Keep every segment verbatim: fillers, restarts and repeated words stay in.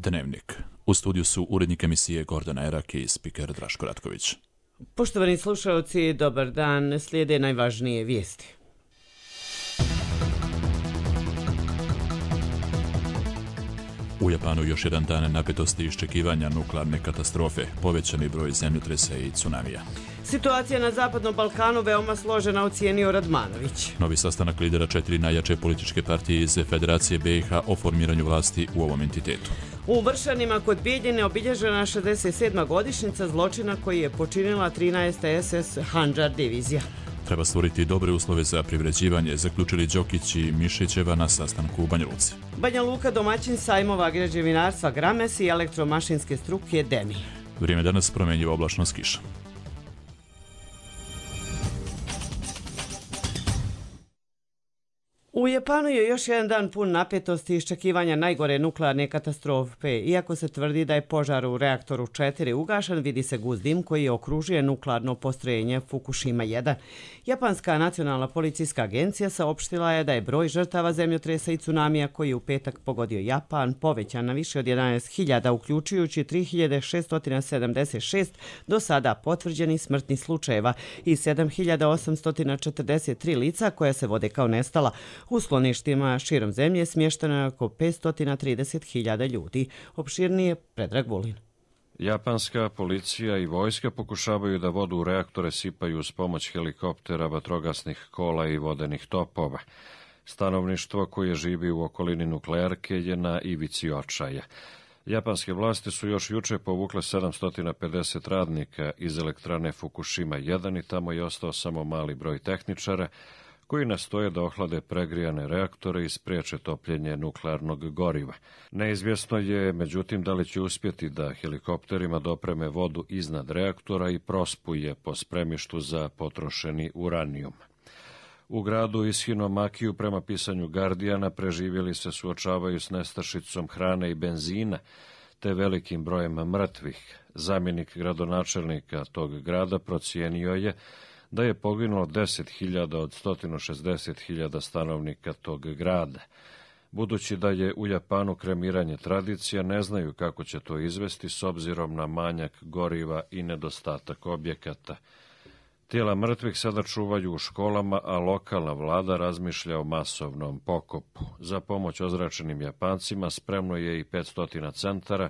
Dnevnik. U studiju su urednik emisije Gordana Erak i spiker Draško Ratković. Poštovani slušalci, dobar dan. Slijede najvažnije vijesti. U Japanu još jedan dan napetosti iščekivanja nuklearne katastrofe, povećani broj zemljotresa i tsunamija. Situacija na Zapadnom Balkanu veoma složena, ocijenio Radmanović. Novi sastanak lidera četiri najjače političke partije iz Federacije B i H o formiranju vlasti u ovom entitetu. U Vršanima kod Bijeljine obilježena šezdeset sedma godišnjica zločina koji je počinila trinaesta es es Handžar divizija. Treba stvoriti dobre uslove za privređivanje, zaključili Đokić i Mišićeva na sastanku u Banja Luci. Banja Luka domaćin sajmova građevinarstva Grames i elektromašinske struke Demi. Vrijeme danas promjenjiva oblačnost kiša. U Japanu je još jedan dan pun napetosti i iščekivanja najgore nuklearne katastrofe. Iako se tvrdi da je požar u reaktoru četiri ugašen, vidi se gust dim koji okružuje nuklearno postrojenje Fukushima jedan. Japanska nacionalna policijska agencija saopštila je da je broj žrtava zemljotresa i tsunamija koji je u petak pogodio Japan povećan na više od jedanaest hiljada, uključujući tri hiljade šesto sedamdeset šest do sada potvrđenih smrtnih slučajeva i sedam hiljada osamsto četrdeset tri lica koja se vode kao nestala. U skloništima širom zemlje smješteno je oko petsto trideset hiljada ljudi. Opširnije Predrag Vulin. Japanska policija i vojska pokušavaju da vodu u reaktore sipaju uz pomoć helikoptera, vatrogasnih kola i vodenih topova. Stanovništvo koje živi u okolini nuklearke je na ivici očaja. Japanske vlasti su još juče povukle sedamsto pedeset radnika iz elektrane Fukushima jedan i tamo je ostao samo mali broj tehničara koji nastoje da ohlade pregrijane reaktore i spriječe topljenje nuklearnog goriva. Neizvjesno je, međutim, da li će uspjeti da helikopterima dopreme vodu iznad reaktora i prospuje po spremištu za potrošeni uranijum. U gradu Ishinomakiju, prema pisanju Guardiana, preživjeli se suočavaju s nestašicom hrane i benzina, te velikim brojem mrtvih. Zamjenik gradonačelnika tog grada procijenio je da je poginulo deset hiljada od sto šezdeset hiljada stanovnika tog grada. Budući da je u Japanu kremiranje tradicija, ne znaju kako će to izvesti s obzirom na manjak goriva i nedostatak objekata. Tijela mrtvih sada čuvaju u školama, a lokalna vlada razmišlja o masovnom pokopu. Za pomoć ozračenim Japancima spremno je i petsto centara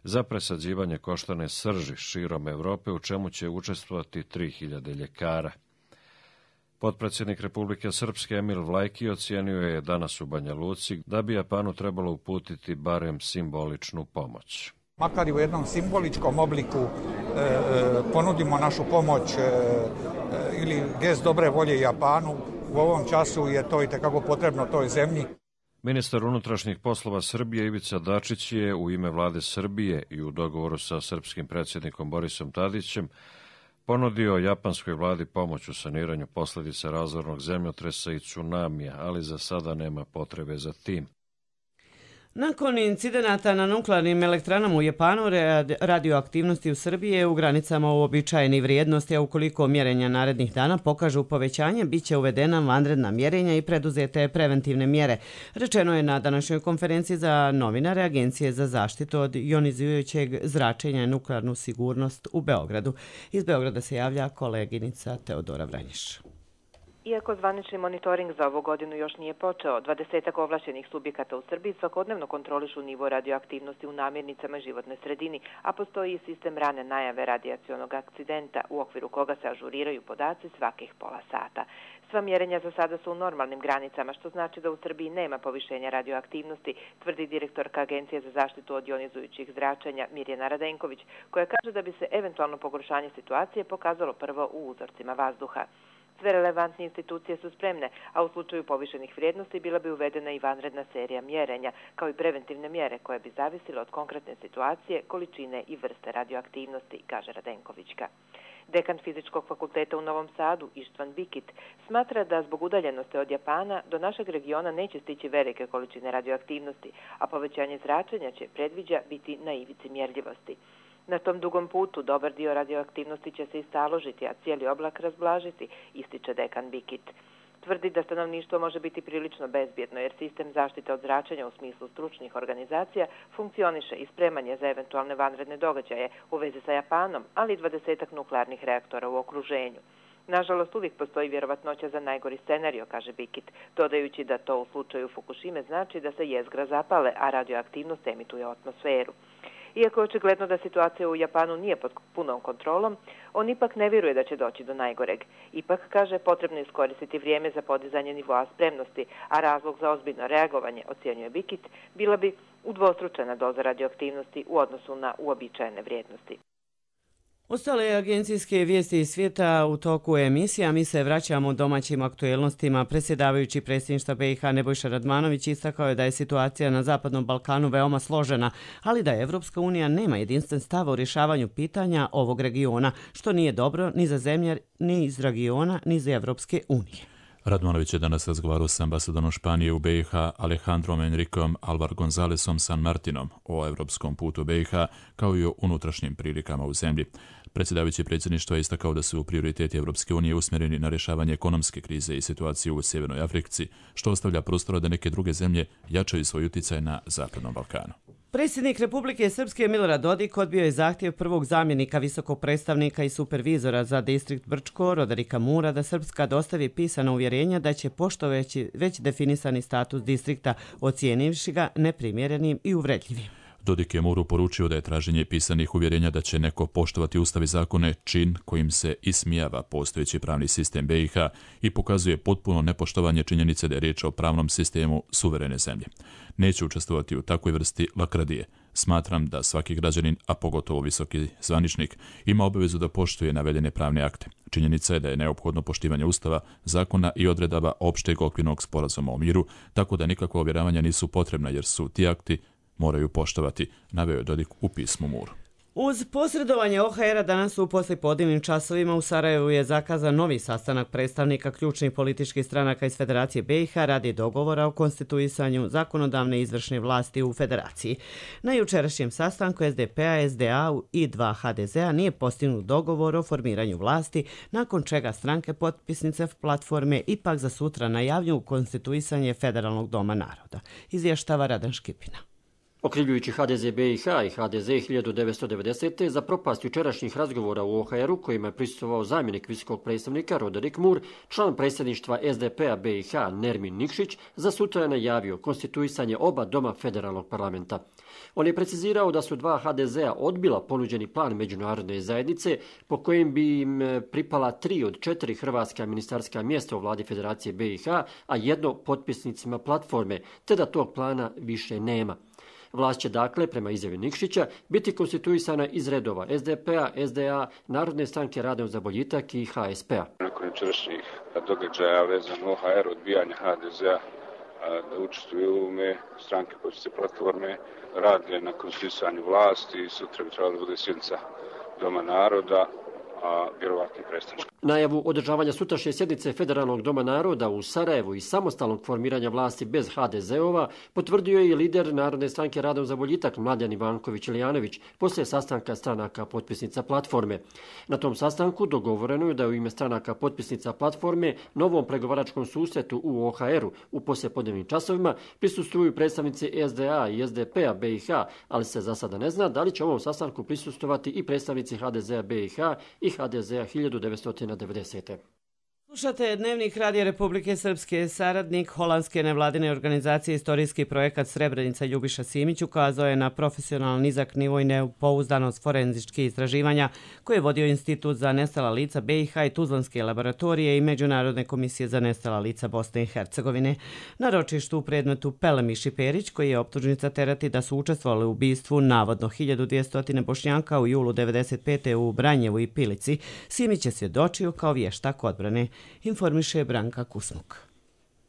za presađivanje koštane srži širom Evrope, u čemu će učestvovati tri hiljade ljekara. Potpredsjednik Republike Srpske Emil Vlajki ocijenio je danas u Banja Luci da bi Japanu trebalo uputiti barem simboličnu pomoć. Makar i u jednom simboličkom obliku e, e, ponudimo našu pomoć e, e, ili gest dobre volje Japanu, u ovom času je to itekako potrebno toj zemlji. Ministar unutrašnjih poslova Srbije Ivica Dačić je u ime vlade Srbije i u dogovoru sa srpskim predsjednikom Borisom Tadićem ponudio japanskoj vladi pomoć u saniranju posljedica razornog zemljotresa i tsunamija, ali za sada nema potrebe za tim. Nakon incidenata na nuklearnim elektranama u Japanu, radioaktivnosti u Srbiji je u granicama uobičajenih vrijednosti, a ukoliko mjerenja narednih dana pokažu povećanje, bit će uvedena vanredna mjerenja i preduzete preventivne mjere. Rečeno je na današnjoj konferenciji za novinare Agencije za zaštitu od ionizirajućeg zračenja i nuklearnu sigurnost u Beogradu. Iz Beograda se javlja koleginica Teodora Vranješ. Iako zvanični monitoring za ovu godinu još nije počeo, dvadesetak ovlašćenih subjekata u Srbiji svakodnevno kontrolišu nivo radioaktivnosti u namirnicama i životnoj sredini, a postoji i sistem rane najave radijacionog akcidenta u okviru koga se ažuriraju podaci svakih pola sata. Sva mjerenja za sada su u normalnim granicama, što znači da u Srbiji nema povišenja radioaktivnosti, tvrdi direktorka Agencije za zaštitu od ionizujućih zračenja Mirjana Radenković, koja kaže da bi se eventualno pogoršanje situacije pokazalo prvo u uzorcima vazduha. Sve relevantne institucije su spremne, a u slučaju povišenih vrijednosti bila bi uvedena i vanredna serija mjerenja, kao i preventivne mjere koje bi zavisile od konkretne situacije, količine i vrste radioaktivnosti, kaže Radenkovićka. Dekan Fizičkog fakulteta u Novom Sadu, Ištvan Bikit, smatra da zbog udaljenosti od Japana do našeg regiona neće stići velike količine radioaktivnosti, a povećanje zračenja će, predviđa, biti na ivici mjerljivosti. Na tom dugom putu dobar dio radioaktivnosti će se istaložiti, a cijeli oblak razblažiti, ističe dekan Bikit. Tvrdi da stanovništvo može biti prilično bezbjedno jer sistem zaštite od zračenja u smislu stručnih organizacija funkcioniše i spreman je za eventualne vanredne događaje u vezi sa Japanom, ali i dvadesetak nuklearnih reaktora u okruženju. Nažalost, uvijek postoji vjerovatnoća za najgori scenario, kaže Bikit, dodajući da to u slučaju Fukushime znači da se jezgra zapale, a radioaktivnost emituje u atmosferu. Iako je očigledno da situacija u Japanu nije pod punom kontrolom, on ipak ne vjeruje da će doći do najgoreg. Ipak, kaže, potrebno je iskoristiti vrijeme za podizanje nivoa spremnosti, a razlog za ozbiljno reagovanje, ocjenjuje Bikit, bila bi udvostručena doza radioaktivnosti u odnosu na uobičajene vrijednosti. Ostale agencijske vijesti iz svijeta u toku emisija. Mi se vraćamo domaćim aktuelnostima. Predsjedavajući predsjedništva B i H Nebojša Radmanović istakao je da je situacija na Zapadnom Balkanu veoma složena, ali da Evropska unija nema jedinstven stav o rješavanju pitanja ovog regiona, što nije dobro ni za zemlje, ni iz regiona, ni za Evropske unije. Radmanović je danas razgovarao s ambasadorom Španije u B i H Alejandrom Enricom Alvar Gonzalesom San Martinom o evropskom putu B i H kao i o unutrašnjim prilikama u zemlji. Predsjedavajući predsjedništva je istakao da su prioriteti Evropske unije usmjereni na rješavanje ekonomske krize i situaciju u Sjevernoj Africi, što ostavlja prostora da neke druge zemlje jačaju svoj utjecaj na Zapadnom Balkanu. Predsjednik Republike Srpske Milorad Dodik odbio je zahtjev prvog zamjenika visokog predstavnika i supervizora za distrikt Brčko, Roderika Mura, da Srpska dostavi pisana uvjerenja da će poštovati već definisani status distrikta, ocijenivši ga neprimjerenim i uvredljivim. Dodik je Muru poručio da je traženje pisanih uvjerenja da će neko poštovati ustav i zakone čin kojim se ismijava postojeći pravni sistem B i H i pokazuje potpuno nepoštovanje činjenice da je riječ o pravnom sistemu suverene zemlje. Neće učestvovati u takvoj vrsti lakradije. Smatram da svaki građanin, a pogotovo visoki zvaničnik, ima obavezu da poštuje navedene pravne akte. Činjenica je da je neophodno poštivanje ustava, zakona i odredaba opšteg okvirnog sporazuma o miru, tako da nikakva ovjeravanja nisu potrebna jer su ti akti moraju poštovati, naveo je Dodik u pismu Muru. Uz posredovanje O H R-a danas u poslijepodnevnim časovima u Sarajevu je zakazan novi sastanak predstavnika ključnih političkih stranaka iz Federacije B i H radi dogovora o konstituisanju zakonodavne i izvršne vlasti u Federaciji. Na jučerašnjem sastanku S D P-a, S D A i dva H D Z-a nije postignut dogovor o formiranju vlasti, nakon čega stranke potpisnice platforme ipak za sutra najavljuju konstituisanje Federalnog doma naroda. Izvještava Radan Škipina. Okrivljujući H D Z B i H i H D Z hiljadu devetsto devedesete za propast jučerašnjih razgovora u O H R-u kojima je prisustvovao zamjenik visokog predstavnika Roderik Mur, član predsjedništva S D P-a B i H Nermin Nikšić za sutra je najavio konstituisanje oba doma federalnog parlamenta. On je precizirao da su dva H D Z-a odbila ponuđeni plan međunarodne zajednice po kojem bi im pripala tri od četiri hrvatska ministarska mjesta u vladi Federacije B i H, a jedno potpisnicima platforme, te da tog plana više nema. Vlast će dakle, prema izjavi Nikšića, biti konstituisana iz redova S D P-a, S D A, Narodne stranke Rada za boljitak i H S P-a. Nakon jučerašnjih događaja vezano O H R, odbijanja H D Z-a da učestvuju u ovome, stranke potpisnice platforme rade na konstituisanju vlasti i sutra bi trebala da bude sjednica Doma naroda, a vjerovatno predstavništvo. Najavu održavanja sutrašnje sjednice Federalnog doma naroda u Sarajevu i samostalnog formiranja vlasti bez H D Z-ova potvrdio je i lider Narodne stranke Radom za boljitak Mladen Ivanković-Ilijanović poslije sastanka stranaka potpisnica platforme. Na tom sastanku dogovoreno je da u ime stranaka potpisnica platforme novom pregovaračkom susretu u O H R-u u poslijepodnevnim časovima prisustvuju predstavnici S D A i S D P-a B i H, ali se za sada ne zna da li će ovom sastanku prisustvovati i predstavnici H D Z-a B i H i H D Z-a hiljadu devetsto devedesete. Slušate Dnevnik Radija Republike Srpske. Saradnik holandske nevladine organizacije Istorijski projekat Srebrenica Ljubiša Simić ukazao je na profesionalan nizak nivo i nepouzdanost forenzičkih istraživanja koje je vodio Institut za nestala lica B i H i Tuzlanske laboratorije i Međunarodne komisije za nestala lica Bosne i Hercegovine. Na ročištu u predmetu Pelemiš i Perić, koji je optužnica terati da su učestvovali u ubistvu navodno hiljadu dvjesto Bošnjaka u julu devedeset pete u Branjevu i Pilici, Simić je svjedočio kao vještak odbrane. Informiše Branka Kusmuk.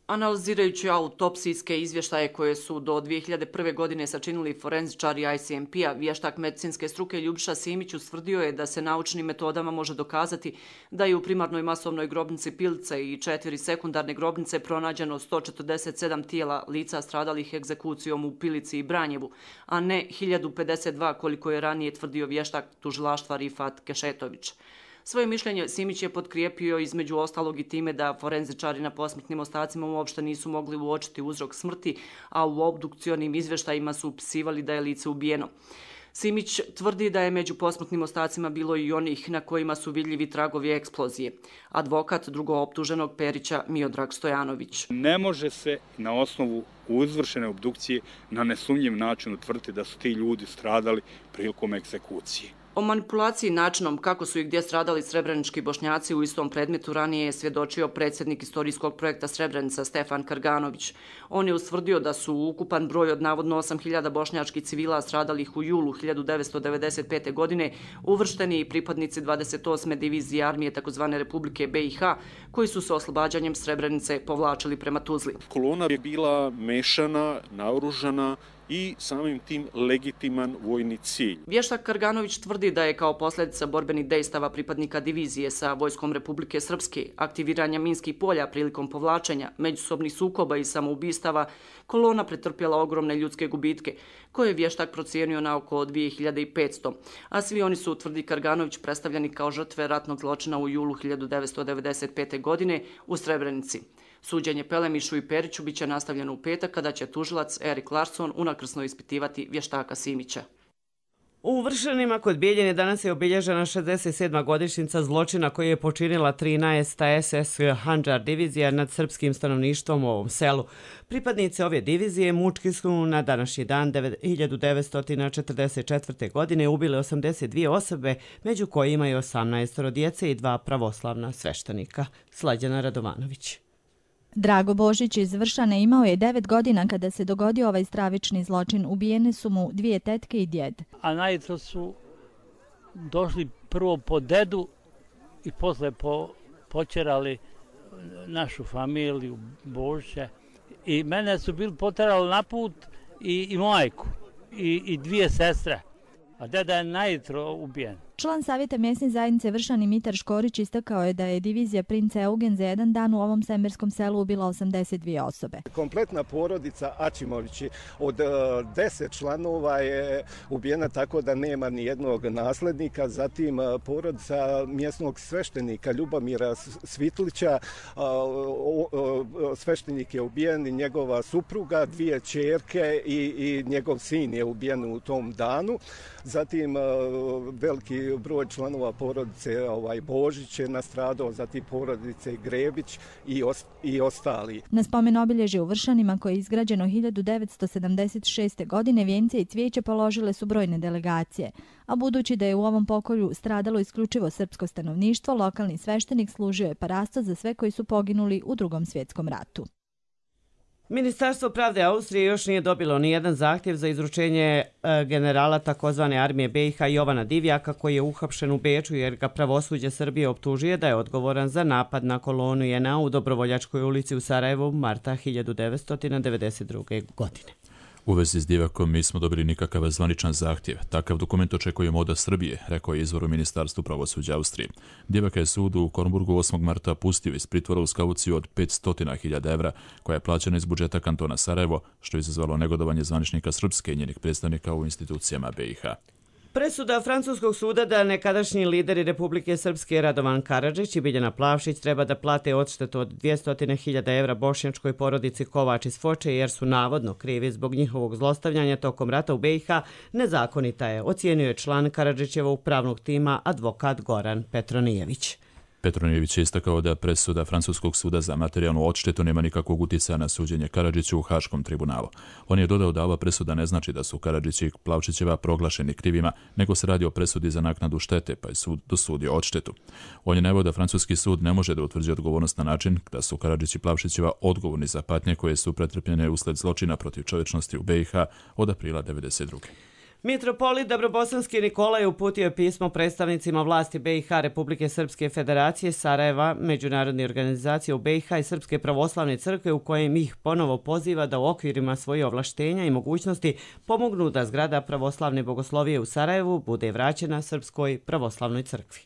Analizirajući autopsijske izvještaje koje su do dvije hiljade prve. godine sačinili forenzičari I C M P-a, vještak medicinske struke Ljubiša Simić ustvrdio je da se naučnim metodama može dokazati da je u primarnoj masovnoj grobnici Pilice i četiri sekundarne grobnice pronađeno sto četrdeset sedam tijela lica stradalih egzekucijom u Pilici i Branjevu, a ne hiljadu pedeset dva koliko je ranije tvrdio vještak tužilaštva Rifat Kešetović. Svoje mišljenje Simić je potkrijepio između ostalog i time da forenzičari na posmrtnim ostacima uopšte nisu mogli uočiti uzrok smrti, a u obdukcionim izvještajima su upisivali da je lice ubijeno. Simić tvrdi da je među posmrtnim ostacima bilo i onih na kojima su vidljivi tragovi eksplozije. Advokat drugooptuženog Perića Miodrag Stojanović. Ne može se na osnovu izvršene obdukcije na nesumnjiv način utvrditi da su ti ljudi stradali prilikom egzekucije. O manipulaciji načinom kako su i gdje stradali srebrenički Bošnjaci u istom predmetu ranije je svjedočio predsjednik istorijskog projekta Srebrenica Stefan Karganović. On je ustvrdio da su ukupan broj od navodno osam hiljada bošnjačkih civila stradalih u julu hiljadu devetsto devedeset pete. godine uvršteni i pripadnici dvadeset osme divizije armije tzv. Republike B i H koji su se oslobađanjem Srebrenice povlačili prema Tuzli. Kolona je bila mešana, naoružana i samim tim legitiman vojni cilj. Vještak Karganović tvrdi da je kao posljedica borbenih dejstava pripadnika divizije sa vojskom Republike Srpske, aktiviranja minskih polja prilikom povlačenja, međusobnih sukoba i samoubistava, kolona pretrpjela ogromne ljudske gubitke, koje je vještak procijenio na oko dvije hiljade petsto, a svi oni su, tvrdi Karganović, predstavljeni kao žrtve ratnog zločina u julu hiljadu devetsto devedeset pete. godine u Srebrenici. Suđenje Pelemišu i Periću biće nastavljeno u petak kada će tužilac Erik Larsson unakrsno ispitivati vještaka Simića. U Vršanima kod Bijeljine danas je obilježena šezdeset sedma godišnjica zločina koji je počinila trinaesta es es Handžar divizija nad srpskim stanovništvom u ovom selu. Pripadnici ove divizije mučki su na današnji dan hiljadu devetsto četrdeset četvrte. godine ubili osamdeset dvije osobe, među kojima je osamnaest djece i dva pravoslavna sveštenika. Slađana Radovanović. Drago Božić iz Vršane imao je devet godina kada se dogodio ovaj stravični zločin. Ubijene su mu dvije tetke i djed. A najutro su došli prvo po dedu i posle po, počerali našu familiju Božića. I mene su bili poterali na put i, i majku i, i dvije sestre. A deda je najutro ubijen. Član savjeta mjesne zajednice Vršani Mitar Škorić istakao je da je divizija Princa Eugen za jedan dan u ovom semerskom selu ubila osamdeset dvije osobe. Kompletna porodica Ačimovići od deset članova je ubijena tako da nema ni jednog naslednika. Zatim porodica mjesnog sveštenika Ljubomira Svitlića, sveštenik je ubijen i njegova supruga, dvije ćerke i, i njegov sin je ubijen u tom danu. Zatim veliki broj članova porodice ovaj, Božić je nastradao, zatim porodice Grebić i, os, i ostali. Na spomen obilježje u Vršanima koje je izgrađeno hiljadu devetsto sedamdeset šeste. godine vijence i cvijeće položile su brojne delegacije, a budući da je u ovom pokolju stradalo isključivo srpsko stanovništvo, lokalni sveštenik služio je parasto za sve koji su poginuli u Drugom svjetskom ratu. Ministarstvo pravde Austrije još nije dobilo ni jedan zahtjev za izručenje generala takozvane armije B i H Jovana Divjaka koji je uhapšen u Beču jer ga pravosuđe Srbije optužuje da je odgovoran za napad na kolonu J N A u Dobrovoljačkoj ulici u Sarajevu marta hiljadu devetsto devedeset druge. godine. U vezi s Divjakom nismo dobili nikakav zvaničan zahtjev. Takav dokument očekujemo od Srbije, rekao je izvor u Ministarstvu pravosuđa Austrije. Divjaka je sud u Kornburgu osmog marta pustio iz pritvora uz kauciju od petsto hiljada evra, koja je plaćena iz budžeta kantona Sarajevo, što je izazvalo negodovanje zvaničnika Srpske i njenih predstavnika u institucijama B i H. Presuda francuskog suda da nekadašnji lideri Republike Srpske Radovan Karadžić i Biljana Plavšić treba da plate odštetu od dvjesto hiljada evra bošnjačkoj porodici Kovač iz Foče jer su navodno krivi zbog njihovog zlostavljanja tokom rata u B i H, nezakonita je, ocijenio je član Karadžićevog pravnog tima advokat Goran Petronijević. Petronijević je istakao da presuda Francuskog suda za materijalnu odštetu nema nikakvog utjecaja na suđenje Karadžiću u Haškom tribunalu. On je dodao da ova presuda ne znači da su Karadžić i Plavšićeva proglašeni krivima, nego se radi o presudi za naknadu štete, pa je sud dosudio odštetu. On je naveo da francuski sud ne može da utvrđuje odgovornost na način da su Karadžić i Plavšićeva odgovorni za patnje koje su pretrpljene usled zločina protiv čovječnosti u B i H od aprila devedeset druge. Mitropolit Dabrobosanski Nikolaj uputio je pismo predstavnicima vlasti B i H Republike Srpske Federacije, Sarajeva, međunarodne organizacije u B i H i Srpske pravoslavne crkve u kojem ih ponovo poziva da u okvirima svojih ovlaštenja i mogućnosti pomognu da zgrada pravoslavne bogoslovije u Sarajevu bude vraćena Srpskoj pravoslavnoj crkvi.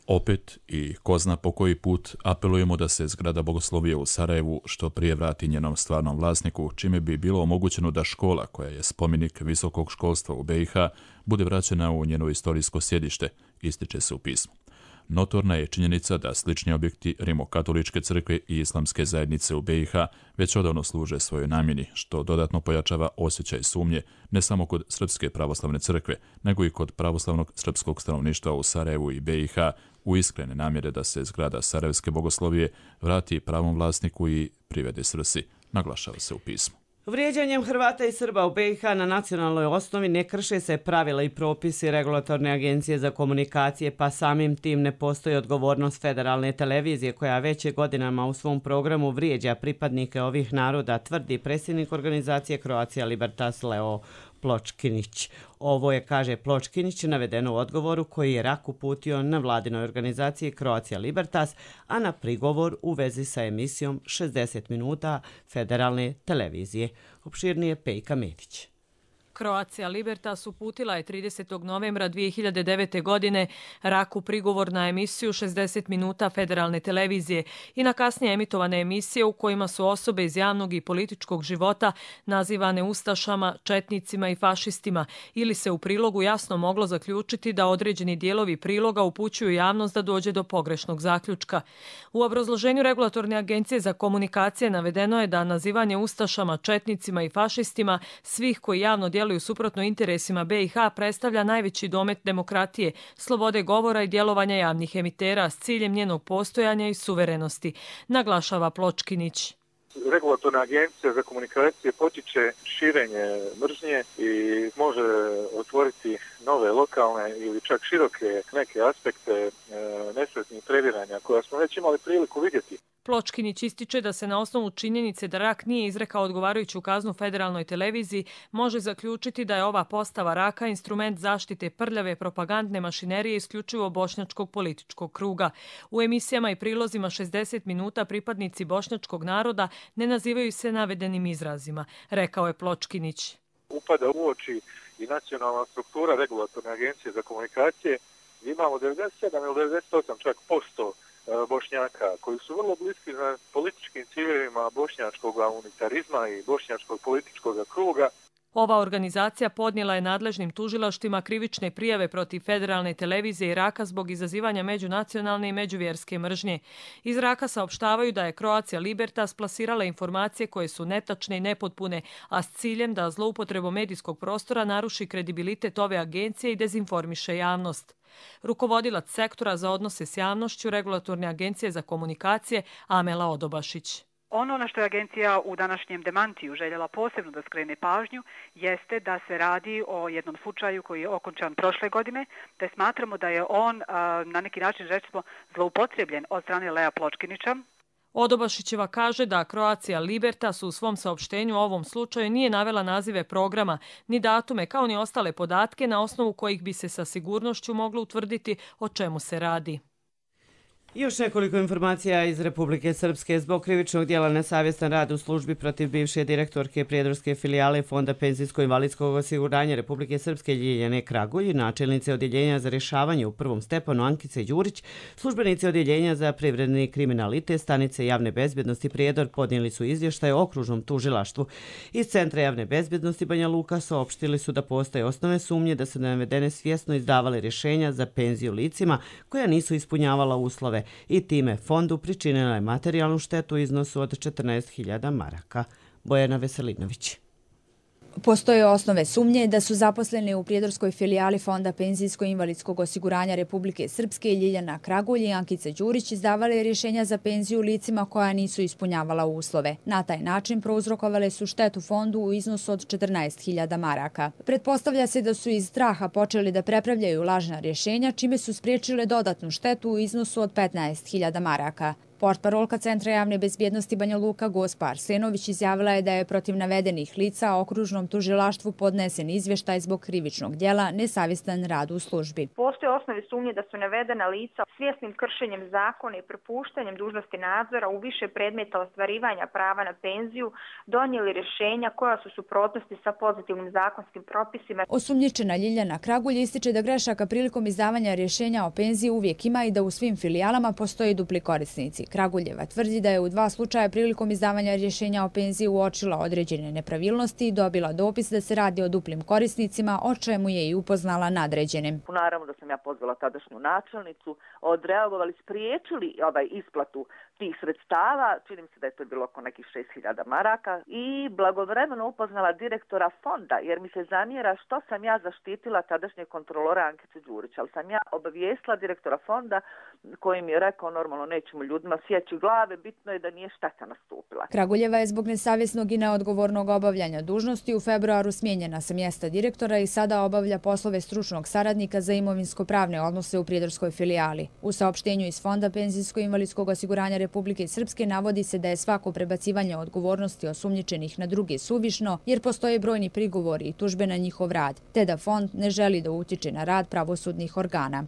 Opet i ko zna po koji put apelujemo da se zgrada bogoslovije u Sarajevu što prije vrati njenom stvarnom vlasniku, čime bi bilo omogućeno da škola, koja je spomenik visokog školstva u B i H, bude vraćena u njeno istorijsko sjedište, ističe se u pismu. Notorna je činjenica da slični objekti Rimokatoličke crkve i islamske zajednice u B i H već odavno služe svojoj namjeni, što dodatno pojačava osjećaj sumnje ne samo kod Srpske pravoslavne crkve, nego i kod pravoslavnog srpskog stanovništva u Sarajevu i B i H u iskrene namjere da se zgrada Sarajevske bogoslovije vrati pravom vlasniku i privede svrsi, naglašava se u pismu. Vrijeđanjem Hrvata i Srba u B i H na nacionalnoj osnovi ne krše se pravila i propisi Regulatorne agencije za komunikacije, pa samim tim ne postoji odgovornost federalne televizije koja već godinama u svom programu vrijeđa pripadnike ovih naroda, tvrdi predsjednik organizacije Croatia Libertas Leo Pločkinić. Ovo je, kaže Pločkinić, navedeno u odgovoru koji je Rak uputio na vladinoj organizaciji Croatia Libertas, a na prigovor u vezi sa emisijom šezdeset minuta federalne televizije. Opširnije Pejka Medić. Croatia Libertas uputila je tridesetog novembra dvije hiljade devete. godine Raku prigovor na emisiju šezdeset minuta federalne televizije i na kasnije emitovane emisije u kojima su osobe iz javnog i političkog života nazivane ustašama, četnicima i fašistima, ili se u prilogu jasno moglo zaključiti da određeni dijelovi priloga upućuju javnost da dođe do pogrešnog zaključka. U obrazloženju Regulatorne agencije za komunikacije navedeno je da nazivanje ustašama, četnicima i fašistima svih koji javno djeluju suprotno interesima B i H predstavlja najveći domet demokratije, slobode govora i djelovanja javnih emitera s ciljem njenog postojanja i suverenosti, naglašava Pločkinić. Regulatorna agencija za komunikacije potiče širenje mržnje i može otvoriti nove lokalne ili čak široke neke aspekte e, nesretnih previranja koja smo već imali priliku vidjeti. Pločkinić ističe da se na osnovu činjenice da Rak nije izrekao odgovarajuću kaznu federalnoj televiziji može zaključiti da je ova postava Raka instrument zaštite prljave propagandne mašinerije isključivo bošnjačkog političkog kruga. U emisijama i prilozima šezdeset minuta pripadnici bošnjačkog naroda ne nazivaju se navedenim izrazima, rekao je Pločkinić. Upada u oči i nacionalna struktura Regulatorne agencije za komunikacije. Imamo devedeset sedam ili devedeset osam čak posto Bošnjaka koji su vrlo bliski na političkim ciljevima bošnjačkog unitarizma i bošnjačkog političkog kruga. Ova organizacija podnijela je nadležnim tužilaštvima krivične prijave protiv federalne televizije Iraka zbog izazivanja međunacionalne i međuvjerske mržnje. Iz Iraka saopštavaju da je Croatia Libertas plasirala informacije koje su netačne i nepotpune, a s ciljem da zloupotrebom medijskog prostora naruši kredibilitet ove agencije i dezinformiše javnost. Rukovodilac sektora za odnose s javnošću Regulatorne agencije za komunikacije Amela Odobašić. Ono na što je agencija u današnjem demantiju željela posebno da skrene pažnju jeste da se radi o jednom slučaju koji je okončan prošle godine, te smatramo da je on na neki način recimo zloupotrebljen od strane Lea Pločkinića. Odobašićeva kaže da Croatia Libertas u svom saopštenju o ovom slučaju nije navela nazive programa, ni datume, kao ni ostale podatke na osnovu kojih bi se sa sigurnošću moglo utvrditi o čemu se radi. Još nekoliko informacija iz Republike Srpske. Zbog krivičnog dijela nesavjestan rad u službi protiv bivše direktorke prijedorske filijale Fonda penzijsko-invalidskog osiguranja Republike Srpske Ljiljane Kragulj, načelnice odjeljenja za rješavanje u prvom stepenu Ankice Đurić, službenici odjeljenja za privredni kriminalitet stanice javne bezbjednosti Prijedor podnijeli su izvještaj o okružnom tužilaštvu. Iz Centra javne bezbjednosti Banja Luka saopštili su da postoje osnovne sumnje da su navedene svjesno izdavale rješenja za penziju licima koja nisu ispunjavala uslove i time fondu pričinila je materijalnu štetu u iznosu od četrnaest hiljada maraka. Bojana Veselinović. Postoje osnove sumnje da su zaposleni u prijedorskoj filijali Fonda penzijsko-invalidskog osiguranja Republike Srpske Ljiljana Kragulj i Ankice Đurić izdavale rješenja za penziju licima koja nisu ispunjavala uslove. Na taj način prouzrokovale su štetu fondu u iznosu od četrnaest hiljada maraka. Pretpostavlja se da su iz straha počeli da prepravljaju lažna rješenja, čime su spriječile dodatnu štetu u iznosu od petnaest hiljada maraka. Portparolka Centra javne bezbjednosti Banja Luka Gospa Arsenović izjavila je da je protiv navedenih lica okružnom tužilaštvu podnesen izvještaj zbog krivičnog djela nesavjestan rad u službi. Postoje osnove sumnje da su navedena lica svjesnim kršenjem zakona i propuštanjem dužnosti nadzora u više predmeta ostvarivanja prava na penziju donijeli rješenja koja su suprotnosti sa pozitivnim zakonskim propisima. Osumnjičena Ljiljana Kragulj ističe da grešaka prilikom izdavanja rješenja o penziji uvijek ima i da u svim filijalama postoje dupli korisnici. Kraguljeva tvrdi da je u dva slučaja prilikom izdavanja rješenja o penziji uočila određene nepravilnosti i dobila dopis da se radi o duplim korisnicima, o čemu je i upoznala nadređene. Naravno da sam ja pozvala tadašnju načelnicu, odreagovali, spriječili ovaj isplatu tih sredstava, čini mi se da je to bilo oko nekih šest hiljada maraka, i blagovremeno upoznala direktora fonda, jer mi se zamjera što sam ja zaštitila tadašnje kontrolora Ankicu Đurića, ali sam ja obavijestila direktora fonda koji mi je rekao normalno nećemo ljudima sjeći glave, bitno je da nije šteta nastupila. Kraguljeva je zbog nesavjesnog i neodgovornog obavljanja dužnosti u februaru smijenjena sa mjesta direktora i sada obavlja poslove stručnog saradnika za imovinsko-pravne odnose u prijedorskoj filijali. U saopštenju iz Fonda penzijsko-invalidskog osiguranja Republike Srpske navodi se da je svako prebacivanje odgovornosti osumnjičenih na druge suvišno, jer postoje brojni prigovori i tužbe na njihov rad, te da fond ne želi da utiče na rad pravosudnih organa.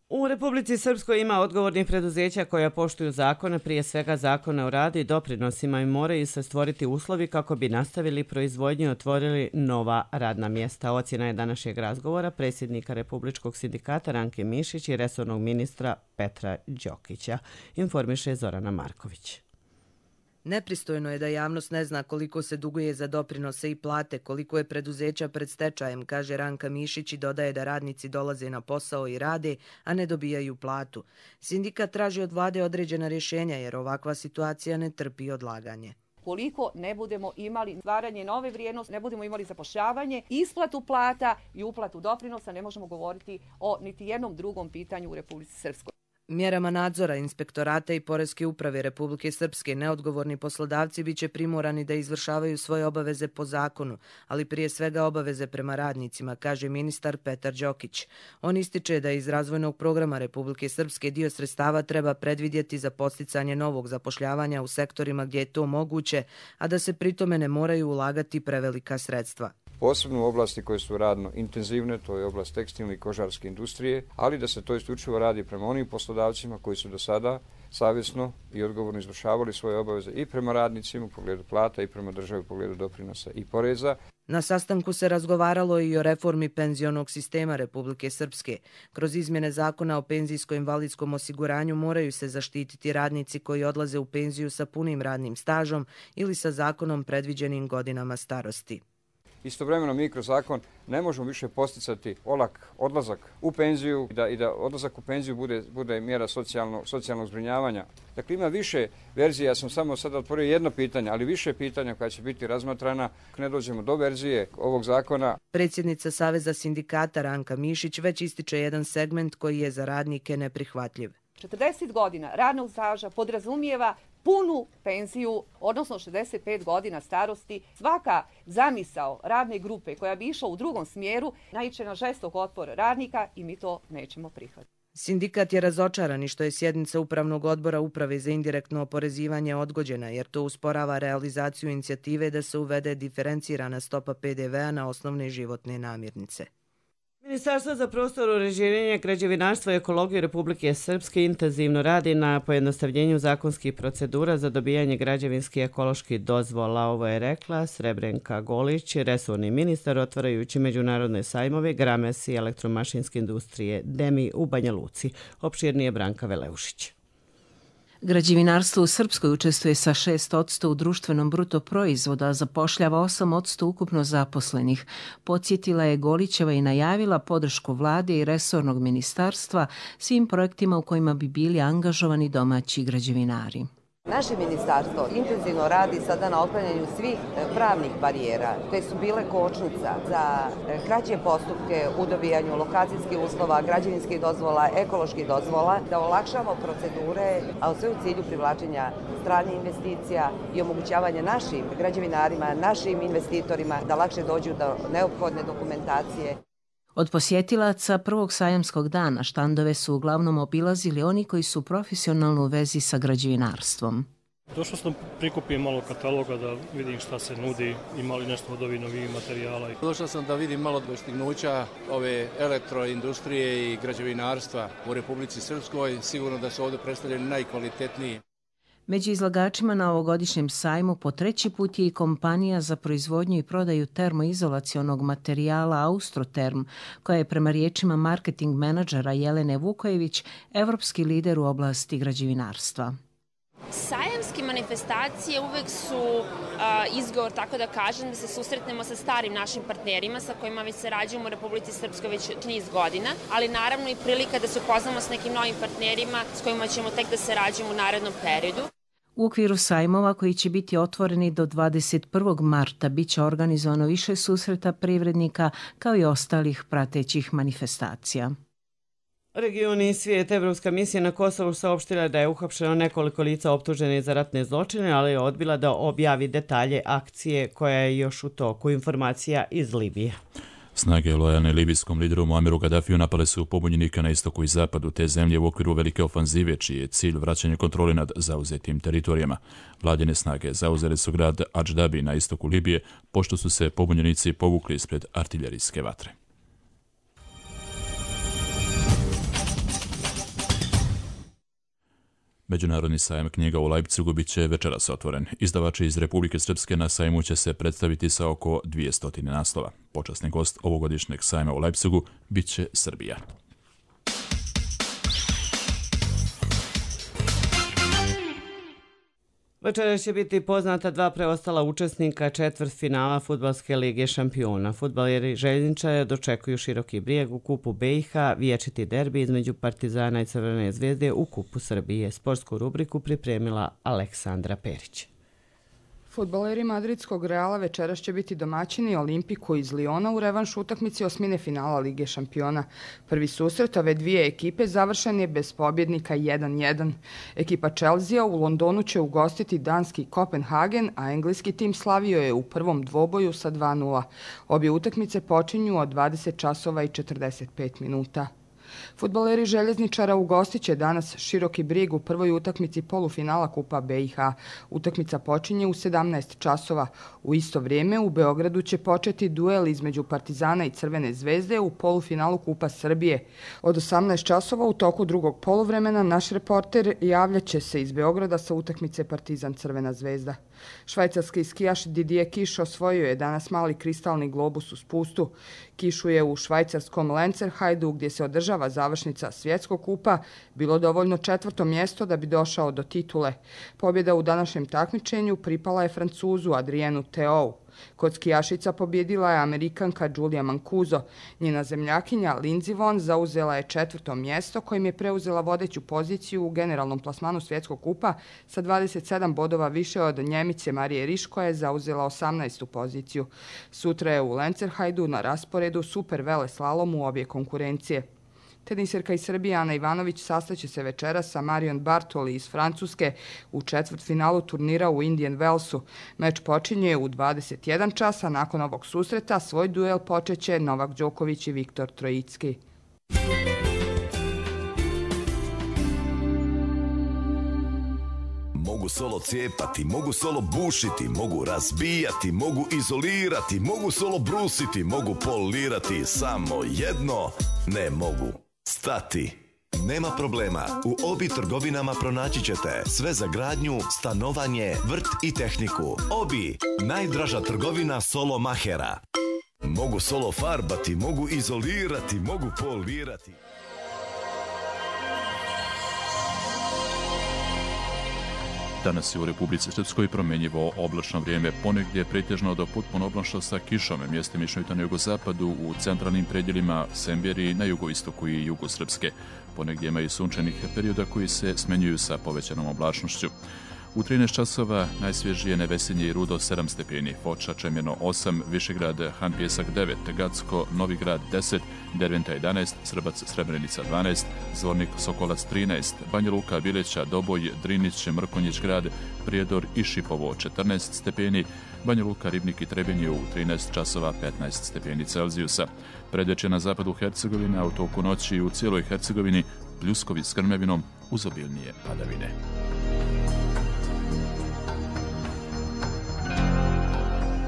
U Republici Srpskoj ima odgovornih preduzeća koja poštuju zakone, prije svega zakone o radu i doprinosima, i moraju se stvoriti uslovi kako bi nastavili proizvodnju i otvorili nova radna mjesta. Ocjena je današnjeg razgovora predsjednika Republičkog sindikata Ranke Mišić i resornog ministra Petra Đokića. Informiše Zorana Marković. Nepristojno je da javnost ne zna koliko se duguje za doprinose i plate, koliko je preduzeća pred stečajem, kaže Ranka Mišić i dodaje da radnici dolaze na posao i rade, a ne dobijaju platu. Sindikat traži od vlade određena rješenja jer ovakva situacija ne trpi odlaganje. Koliko ne budemo imali stvaranje nove vrijednosti, ne budemo imali zapošljavanje, isplatu plata i uplatu doprinosa, ne možemo govoriti o niti jednom drugom pitanju u Republici Srpskoj. Mjerama nadzora Inspektorata i Poreske uprave Republike Srpske neodgovorni poslodavci biće primorani da izvršavaju svoje obaveze po zakonu, ali prije svega obaveze prema radnicima, kaže ministar Petar Đokić. On ističe da iz razvojnog programa Republike Srpske dio sredstava treba predvidjeti za posticanje novog zapošljavanja u sektorima gdje je to moguće, a da se pritome ne moraju ulagati prevelika sredstva. Posebno u oblasti koje su radno intenzivne, to je oblast tekstilne i kožarske industrije, ali da se to isključivo radi prema onim poslodavcima koji su do sada savjesno i odgovorno izvršavali svoje obaveze i prema radnicima u pogledu plata i prema državi u pogledu doprinosa i poreza. Na sastanku se razgovaralo i o reformi penzionog sistema Republike Srpske. Kroz izmjene zakona o penzijsko-invalidskom osiguranju moraju se zaštititi radnici koji odlaze u penziju sa punim radnim stažom ili sa zakonom predviđenim godinama starosti. Istovremeno mi kroz zakon ne možemo više posticati olak odlazak u penziju i da, i da odlazak u penziju bude, bude mjera socijalno, socijalnog zbrinjavanja. Dakle, ima više verzija, ja sam samo sada otvorio jedno pitanje, ali više pitanja koja će biti razmatrana ako ne dođemo do verzije ovog zakona. Predsjednica Saveza sindikata Ranka Mišić već ističe jedan segment koji je za radnike neprihvatljiv. četrdeset godina radnog staža podrazumijeva punu penziju, odnosno šezdeset pet godina starosti. Svaka zamisao radne grupe koja bi išla u drugom smjeru naiće na žestok otpor radnika i mi to nećemo prihvatiti. Sindikat je razočaran i što je sjednica Upravnog odbora Uprave za indirektno oporezivanje odgođena, jer to usporava realizaciju inicijative da se uvede diferencirana stopa P D V-a na osnovne životne namirnice. Ministarstvo za prostor, uređenje, građevinarstvo i ekologiju Republike Srpske intenzivno radi na pojednostavljenju zakonskih procedura za dobijanje građevinskih ekoloških dozvola. Ovo je rekla Srebrenka Golić, resorni ministar, otvarajući međunarodne sajmove Grames i elektromašinske industrije Demi u Banja Luci. Opširnije Branka Veleušić. Građevinarstvo u Srpskoj učestvuje sa šest posto u društvenom bruto proizvoda, a zapošljava osam posto ukupno zaposlenih. Podsjetila je Golićeva i najavila podršku vlade i resornog ministarstva svim projektima u kojima bi bili angažovani domaći građevinari. Naše ministarstvo intenzivno radi sada na otklanjanju svih pravnih barijera koje su bile kočnica za kraće postupke u dobijanju lokacijskih uslova, građevinskih dozvola, ekoloških dozvola, da olakšamo procedure, a sve u cilju privlačenja stranih investicija i omogućavanja našim građevinarima, našim investitorima da lakše dođu do neophodne dokumentacije. Od posjetilaca prvog sajamskog dana štandove su uglavnom obilazili oni koji su profesionalno u vezi sa građevinarstvom. Došao sam prikupiti malo kataloga da vidim šta se nudi, ima li nešto od ovih novih materijala. Došao sam da vidim malo dostignuća ove elektroindustrije i građevinarstva u Republici Srpskoj. Sigurno da su ovdje predstavljeni najkvalitetniji. Među izlagačima na ovogodišnjem sajmu po treći put je i kompanija za proizvodnju i prodaju termoizolacionog materijala Austroterm, koja je prema riječima marketing menadžera Jelene Vukojević evropski lider u oblasti građevinarstva. Sajamske manifestacije uvek su a, izgovor, tako da kažem, da se susretnemo sa starim našim partnerima sa kojima već sarađujemo u Republici Srpskoj već niz godina, ali naravno i prilika da se upoznamo s nekim novim partnerima s kojima ćemo tek da sarađujemo u narednom periodu. U okviru sajmova koji će biti otvoreni do dvadeset prvog marta biće organizovano više susreta privrednika kao i ostalih pratećih manifestacija. Regioni i svijet. Evropska misija na Kosovu saopštila da je uhapšeno nekoliko lica optuženih za ratne zločine, ali je odbila da objavi detalje akcije koja je još u toku. Informacija iz Libije. Snage lojalne libijskom lideru Muammeru Gaddafiju napale su pobunjenika na istoku i zapadu te zemlje u okviru velike ofanzive, čiji je cilj vraćanje kontrole nad zauzetim teritorijama. Vladine snage zauzeli su grad Adždabi na istoku Libije, pošto su se pobunjenici povukli ispred artiljerijske vatre. Međunarodni sajam knjiga u Leipzigu bit će večeras otvoren. Izdavači iz Republike Srpske na sajmu će se predstaviti sa oko dvjesto naslova. Počasni gost ovogodišnjeg sajma u Leipzigu bit će Srbija. Večeras će biti poznata dva preostala učesnika četvrtfinala Fudbalske lige šampiona. Fudbaleri željezničara dočekuju Široki Brijeg u kupu B i H, vječiti derbi između Partizana i Crvene zvezde u kupu Srbije. Sportsku rubriku pripremila Aleksandra Perić. Fudbaleri madridskog Reala večeras će biti domaćini Olimpiku iz Liona u revanš utakmici osmine finala Lige šampiona. Prvi susret ove dvije ekipe završen je bez pobjednika jedan jedan. Ekipa Chelsea u Londonu će ugostiti danski Kopenhagen, a engleski tim slavio je u prvom dvoboju sa dva nula. Obje utakmice počinju od dvadeset časova i četrdeset pet minuta. Fudbaleri željezničara ugostit će danas Široki Brijeg u prvoj utakmici polufinala Kupa B i H. Utakmica počinje u sedamnaest časova. U isto vrijeme u Beogradu će početi duel između Partizana i Crvene zvezde u polufinalu Kupa Srbije. Od osamnaest časova u toku drugog poluvremena naš reporter javljat će se iz Beograda sa utakmice Partizan Crvena zvezda. Švajcarski skijaš Didier Kiš osvojio je danas mali kristalni globus u spustu. Kišu je u švajcarskom Lenzerheidu, gdje se održava završnica svjetskog kupa, bilo dovoljno četvrto mjesto da bi došao do titule. Pobjeda u današnjem takmičenju pripala je Francuzu Adrienu Theou. Kod skijašica pobjedila je Amerikanka Julia Mancuso. Njena zemljakinja Lindsey Vonn zauzela je četvrto mjesto kojim je preuzela vodeću poziciju u generalnom plasmanu svjetskog kupa sa dvadeset sedam bodova više od Njemice Marije Riš koja je zauzela osamnaestu poziciju. Sutra je u Lenzerheidu na rasporedu super veleslalom u obje konkurencije. Teniserka iz Srbije Ana Ivanović sastaće se večeras sa Marion Bartoli iz Francuske u četvrtfinalu turnira u Indian Wellsu. Meč počinje u dvadeset jedan časa. Nakon ovog susreta svoj duel počeće Novak Đoković i Viktor Trojicki. Mogu solo cijepati, mogu solo bušiti, mogu razbijati, mogu izolirati, mogu solo brusiti, mogu polirati, samo jedno ne mogu. Stati. Nema problema, u Obi trgovinama pronaći ćete sve za gradnju, stanovanje, vrt i tehniku. Obi, najdraža trgovina solo mahera. Mogu solo farbati, mogu izolirati, mogu polirati. Danas je u Republici Srpskoj promjenjivo oblačno vrijeme, ponegdje pretežno do potpuno oblačno sa kišom, mjestimično i na jugozapadu, u centralnim predjelima Semberiji, na jugoistoku i jugu Srpske. Ponegdje ima i sunčanih perioda koji se smenjuju sa povećanom oblačnošću. U trinaest časova najsvježije Nevesinje i Rudo sedam stepeni, Foča, Čemjeno osam, Višegrad, Han Pjesak devet, Gacko, Novi Grad deset, Derventa jedanaest, Srbac, Srebrenica dvanaest, Zvornik, Sokolac trinaest, Banja Luka, Bileća, Doboj, Drinić, Mrkonjić grad, Prijedor i Šipovo četrnaest stepeni, Banja Luka, Ribnik i Trebinje u trinaest časova petnaest stepeni Celzijusa. Predeće na zapadu Hercegovine, a u toku noći u cijeloj Hercegovini pljuskovi s grmljavinom uz obilnije padavine.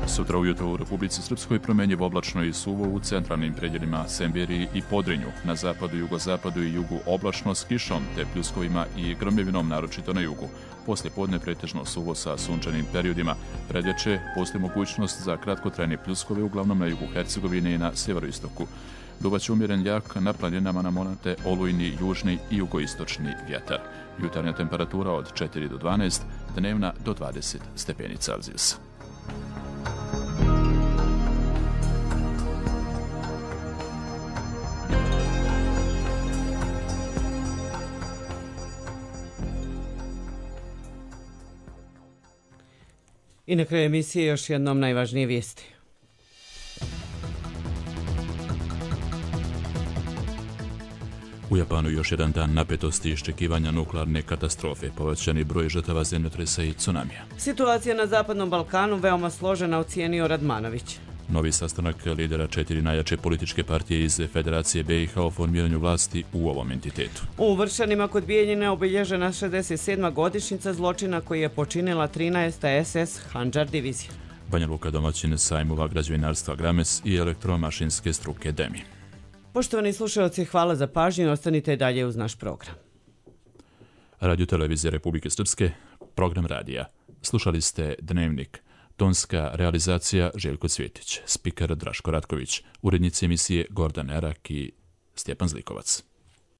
Sutra ujutro u Republici Srpskoj promenjivo oblačno i suvo u centralnim predjelima Semberiji i Podrinju, na zapadu, jugozapadu i jugu oblačno s kišom te pljuskovima i gromljevinom naročito na jugu. Poslije podne pretežno suvo sa sunčanim periodima. Predvečer postoji mogućnost za kratkotrajne pljuskove uglavnom na jugu Hercegovine i na sjeveroistoku. Duvaće umjeren jak, na planinama namonate olujni, južni i jugoistočni vjetar. Jutarnja temperatura od četiri do dvanaest, dnevna do dvadeset stepeni Celzijusa. I na kraju emisije još jednom najvažnije vijesti. U Japanu još jedan dan napetosti i iščekivanja nuklearne katastrofe, povećani broj žrtava zemljotresa i tsunamija. Situacija na Zapadnom Balkanu veoma složena, ocijenio Radmanović. Novi sastanak lidera četiri najjače političke partije iz Federacije B i H o formiranju vlasti u ovom entitetu. U Vršanima kod Bijeljine obilježena šezdeset sedma godišnjica zločina koji je počinila trinaesta es es Handžar divizija. Banja Luka domaćin sajmova građevinarstva Grames i elektromašinske struke Demi. Poštovani slušalci, hvala za pažnju i ostanite dalje uz naš program. Radio Televizija Republike Srpske, program radija. Slušali ste Dnevnik. Tonska realizacija Željko Cvjetić, spiker Draško Ratković, urednici emisije Gordan Erak i Stjepan Zlikovac.